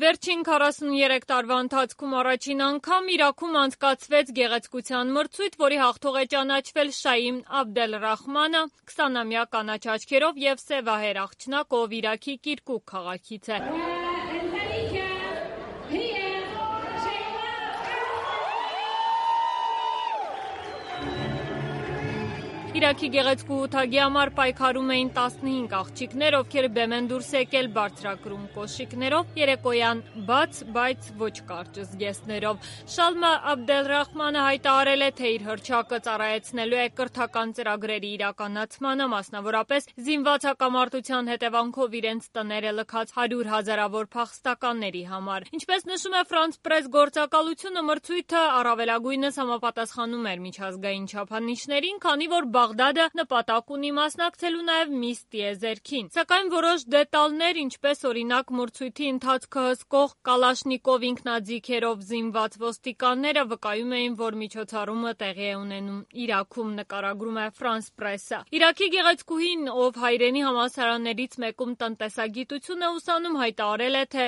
Վերջին 43 տարվա ընթացքում առաջին անգամ Իրաքում անցկացվեց գեղեցկության մրցույթ, որի հաղթող է ճանաչվել Շաիմ Աբդելռախմանը, 20-ամյա կանաչ աչքերով եւ սևահեր աղջնակ, ով Իրաքի Կիրկուկ քաղաքից է։ Իրաքի գեղեցկու ութագի համար պայքարում էին 15 աղջիկներ, ովքեր բեմ են դուրս եկել բարձրակրում կոշիկներով, երեկոյան բաց, բայց ոչ կարճ զգեստներով։ Շալմա Աբդելռախմանը հայտարարել է, թե իր հռչակը ծառայեցնելու է կրթական ծրագրերի իրականացմանը, մասնավորապես զինված հակամարտության հետևանքով իրենց տները լքած 100 հազարավոր փախստականների համար։ Ինչպես նշում է France Press գործակալությունը, մրցույթը առավելագույնս համապատասխանում էր միջազգային չափանիշներին, քանի որ Բաղդադը նպատակ ունի մասնակցելու նաև Միս տիեզերքին։ Սակայն որոշ դետալներ, ինչպես օրինակ մրցույթի ընթացքը հսկող Կալաշնիկով ինքնաձիգերով զինված ոստիկանները վկայում էին, որ միջոցառումը տեղի է ունենում Իրաքում, նկարագրում է France Press-ը։ Իրաքի գեղեցկուհին, ով հայրենի համալսարաններից մեկում տնտեսագիտություն է ուսանում, հայտարարել է, թե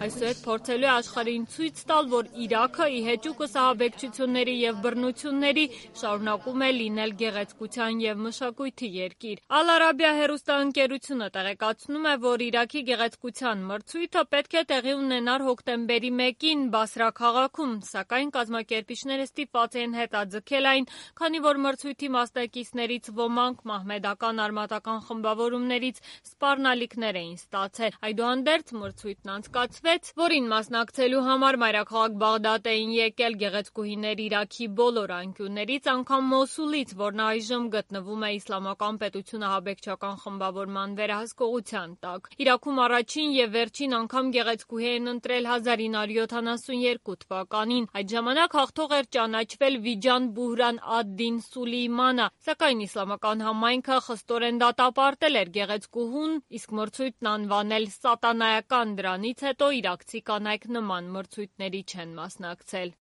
այսուհետ փորձելու է աշխարհին ցույց տալ, որ Իրաքը ի հեճուկս ահաբեկչությունների եւ բռնությունների շարունակում է լինել գեղեցկության եւ մշակույթի երկիր։ Ալ-Արաբիա հեռուստաընկերությունը տեղեկացնում է, որ Իրաքի գեղեցկության մրցույթը պետք է տեղի ունենար հոկտեմբերի 1-ին Բասրա քաղաքում, սակայն կազմակերպիչները ստիպված են հետաձգել այն, քանի որ մրցույթի մասնակիցներից ոմանք մահմեդական արմատական խմբավորումներից սպառնալիքներ էին ստացել։ Այդուհանդերձ մրցույթն անցկացվեց, որին մասնակցելու համար մայրաքաղաք Բաղդադ էին եկել գեղեցկուհիներ Իրաքի բոլոր անկյուններից, անգամ Մոսուլից, որն այժմ գտնվում է Իսլամական պետություն ահաբեկչական խմբավորման վերահսկողության տակ։ Իրաքում առաջին եւ վերջին անգամ գեղեցկուհի են ընտրել 1972 թվականին։ Այդ ժամանակ հաղթող էր ճանաչվել Վիջան Բուհրան ադ-Դին Սուլեյմանը, սակայն իսլամական համայնքը խստորեն դատապարտել էր գեղեցկուհուն, իսկ մրցույթն անվանել սատանայական։ Դրանից հետո իրաքցի կանայք նման մրցույթների չեն մասնակցել։